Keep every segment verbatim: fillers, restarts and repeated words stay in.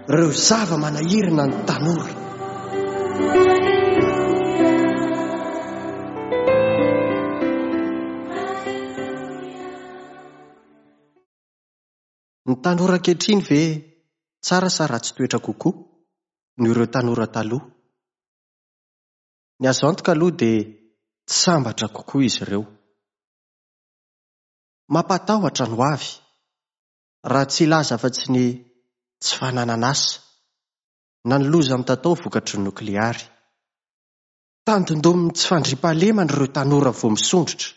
Ireo zava-manahirana ny tanora. Ny tanora ankehitriny ve tsara sa ratsy toetra kokoa noho ireo tanora taloha? Ny azo antoka aloha dia tsy sambatra kokoa izy ireo. Mampatahotra ny hoavy, raha tsy hilaza afa-tsy ny tsy fananana asa na ny loza mitatao vokatry ny nokleary. Tandindomin'ny tsy fandriampahalemana ireo tanora vao misondrotra.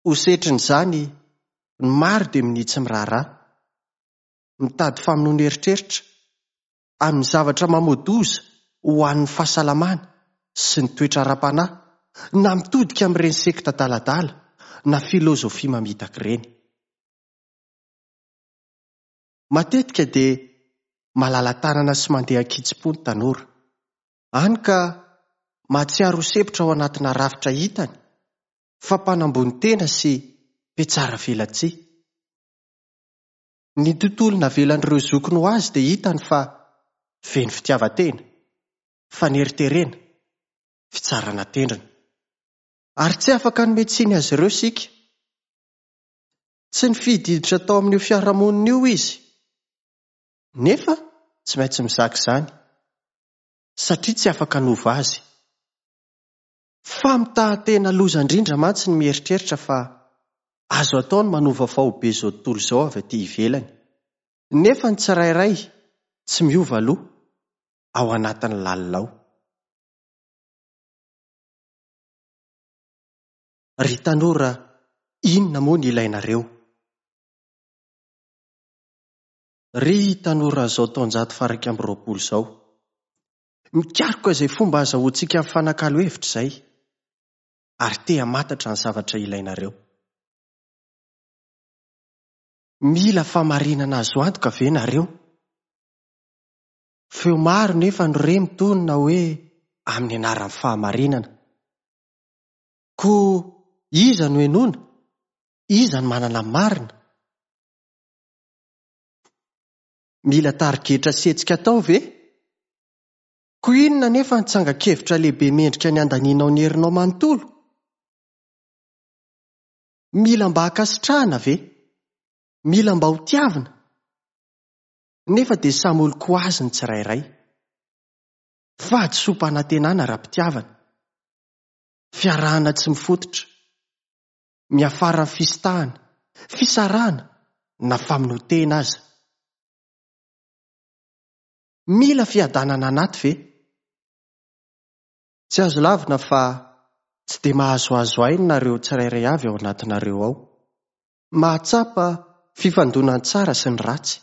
Ho setrin'izany, ny maro dia minia tsy miraharaha, mitady famonoana eritreritra amin'ny zavatra mamoa-doza ho an'ny fahasalamana sy ny toetra ara-panahy, na mitodika amin'ireny sekta adaladala na filozofia mamitaka ireny. Matetika dia malala-tanana sy mandeha an-kitsim-po ny tanora, hany ka mahatsiaro ho sempotra ao anatina rafitra hitany fa mpanambony tena sy mpiatsara velatsihy. Ny tontolo navelan'ireo zokiny ho azy dia hitany fa feno fitiavan-tena, faneriterena, fitsarana tendrony. Ary tsy afaka hanome tsiny azy ireo isika. Tsy nifidy hiditra tao amin'io fiarahamonina io izy, nefa tsy maintsy mizaka izany, satria tsy afaka hanova azy. Famitahan-tena loza indrindra mantsy ny mieritreritra fa azo atao ny manova faobe izao tontolo izao avy aty ivelany, nefa ny tsirairay tsy miova aloha ao anatin'ny lalina ao. Ry tanora, inona moa ny ilainareo? Ry tanoran'izao taonjato faha iraika amby roapolo izao, mikaroka izay fomba ahazoantsika mifanakalo hevitra izay, ary te hamantatra ny zavatra ilainareo. Mila fahamarinana azo antoka ve nareo? Feo maro nefa no re mitonona hoe amin'ny anaran'ny fahamarinana. Koa iza no henoina? Iza no manana ny marina? Mila tarigetra sy hetsika atao ve? Koa inona nefa ny tsangan-kevitra lehibe mendrika ny handanianao ny herinao manontolo? Mila mba hankasitrahana ve? Mila mba ho tiavina? Nefa dia samy olon-ko azy ny tsirairay. Fahadisoam-panantenana ara-pitiavana. Fiarahana tsy mifototra. Miafara amin'ny fisintahana, fisarahana na famonoan-tena aza. Mila fiadanana anaty ve? Tsy azo lavina fa tsy dia mahazoazo aina nareo tsirairay avy ao anatinareo ao. Mahatsapa fifandonan'ny tsara sy ny ratsy.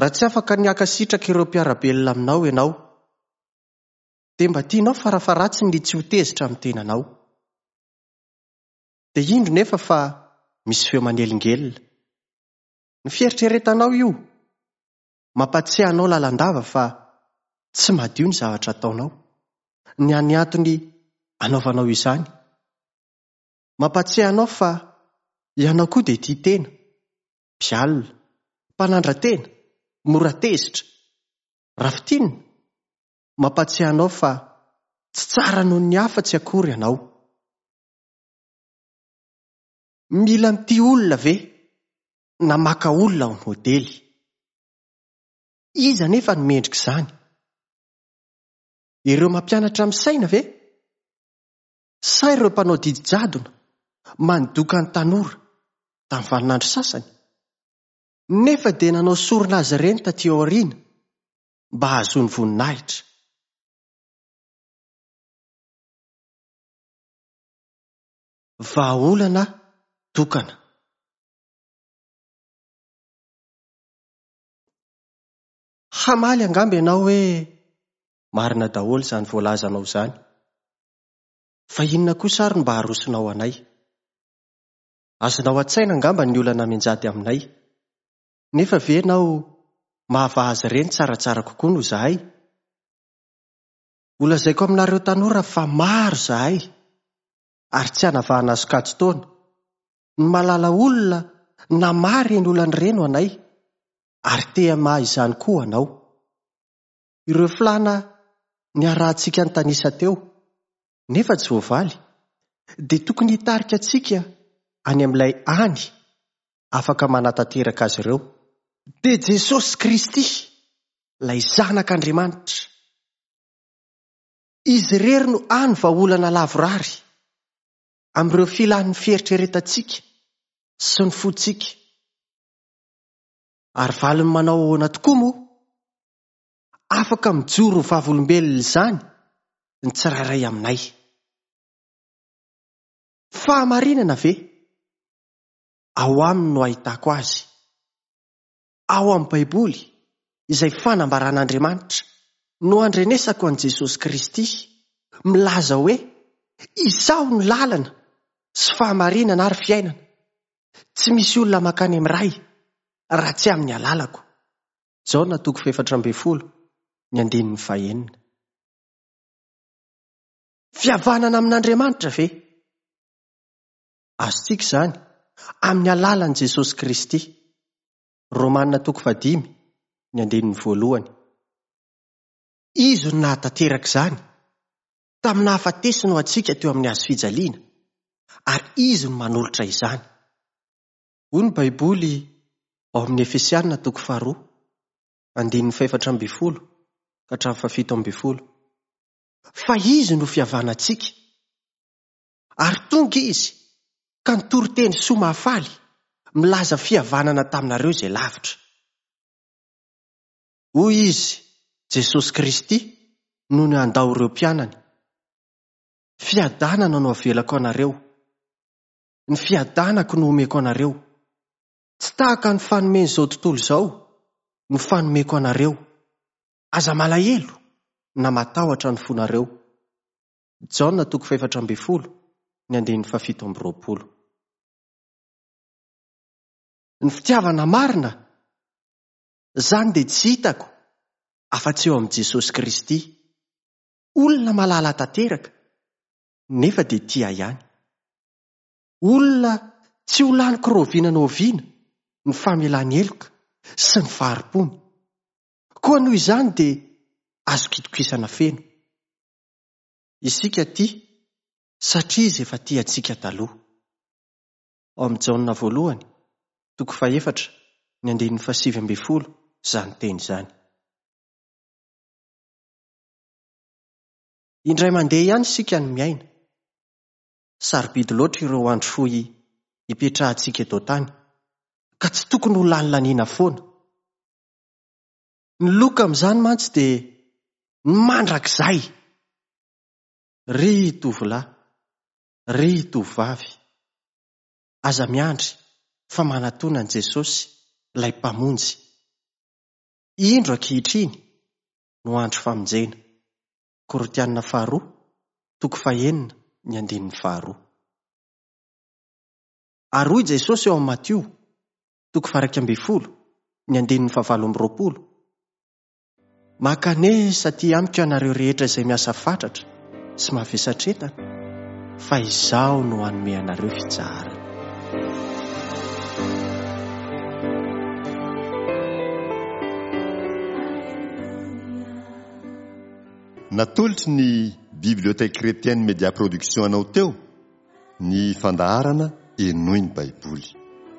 Raha tsy afaka ny hankasitraka ireo mpiara-belona aminao ianao, dia mba tianao farafaharatsiny ny tsy ho tezitra amin'ny tenanao. Dia indro nefa fa misy feo manelingelina. Ny fieritreretanao io mampatsiahy anao lalandava fa tsy madio ny zavatra ataonao, ny any antony anaovanao izany. Mampatsiahy anao fa ianao koa dia tia tena, mpialona, mpanandra-tena, mora tezitra. Raha fintinina, mampatsiahy anao fa tsy tsara noho ny hafa tsy akory ianao. Mila mitia olona ve na maka olona ho modely? Iza nefa no mendrika izany? Ireo mampianatra amin'ny saina ve? Sa ireo mpanao didy jadona mandoka ny tanora tamin'ny vaninandro sasany? Nefa dia nanao sorona azy ireny taty aoriana mba hahazoany voninahitra. Vahaolana tokana. Hamaly angamba ianao hoe marina daholo izany voalazanao izany. Fa inona kosa ary no mba harosonao anay? Azonao an-tsaina angamba ny olana mianjady aminay. Nefa ve ianao mahavaha azy ireny tsaratsara kokoa noho izahay? Ho lazaiko aminareo tanora fa maro izahay ary tsy hanavahana sokajin-taona. Ny mahalala olona na maro ireny olana ireny ho anay. Ary te hamaha izany koa anao. Ireo filàna niarahantsika nitanisa teo, nefa tsy voavaly, dia tokony hitarika antsika any amin'ilay hany afaka manatanteraka azy ireo. Dia Jesosy Kristy, ilay Zanak'Andriamanitra. Izy irery no hany vahaolana lavorary amin'ireo filan'ny fieritreretantsika sy ny fontsika. Ary valiny manao ahoana tokoa moa? Afaka mijoro ho vavolombelona izany ny tsirairay aminay. Fahamarinana ve? Ao aminy no ahitako azy. Ao amin'ny Baiboly, izay fanambaran'Andriamanitra, no andrenesako an'i Jesosy Kristy, milaza hoe, Izaho no lalana sy fahamarinana ary fiainana. Tsy misy olona mankany amin'ny Ray raha tsy amin'ny alalako. Jaona toko fahefatra ambin'ny folo, ny andininy fahenina. Fihavanana amin'Andriamanitra ve? Azontsika izany amin'ny alalan'i Jesosy Kristy. Romana toko fahadimy, ny andininy voalohany. Izy no nahatanteraka izany tamin'ny nahafatesany ho antsika teo amin'ny hazo fijaliana, ary izy no manolotra izany. Hoy ny Baiboly ao amin'ny Efesiana toko faharoa, andininy fahefatra ambin'ny folo ka hatramin'ny fahafito ambin'ny folo. Fa izy no fihavanantsika, ary tonga izy ka nitory teny soa mahafaly milaza fihavanana taminareo izay lavitra. Hoy izy, Jesosy Kristy, no nandao ireo mpianany. Fiadanana no avelako anareo. Ny fiadanako no omeko anareo. Tsy tahaka ny fanomen'izao tontolo izao no fanomeko anareo. Aza malahelo na matahotra ny fonareo. Jaona toko fahefatra ambin'ny folo, ny andininy fahafito amby roapolo. Ny fitiavana marina, izany dia tsy hitako afa-tsy eo amin'i Jesosy Kristy. Olona malala tanteraka, nefa dia tia ihany. Olona tsy ho laniko rahoviana na oviana ny famelany heloka sy ny fahari-pony. Koa noho izany dia azoko itokisana feno. Isika tia satria izy efa tia antsika taloha. Ao amin'ny Jaona voalohany, toko fahefatra, ny andininy fahasivy ambin'ny folo izany teny izany. Indray mandeha ihany isika no miaina. Sarobidy loatra ireo andro fohy ipetrahantsika eto an-tany, ka tsy tokony ho lanilaniana foana. Ny loka amin'izany mantsy dia ny mandrakizay. Ry tovolahy, ry tovovavy, aza miandry fa manatona an'i Jesosy, ilay Mpamonjy. Indro ankehitriny no andro famonjena. Korintiana faharoa, toko fahenina, ny andininy faharoa. Ary hoy Jesosy eo amin'ny Matio, toko faha-iraika ambin'ny folo, ny andininy fahavalo amby roapolo. Mankanesa aty amiko ianareo rehetra izay miasa fatratra sy mavesatretana, fa izaho no hanome anareo fitsaharana. Natolotry ny Bibliothèque Chrétienne Média Production anao teo ny fandaharana Henoy ny Baiboly.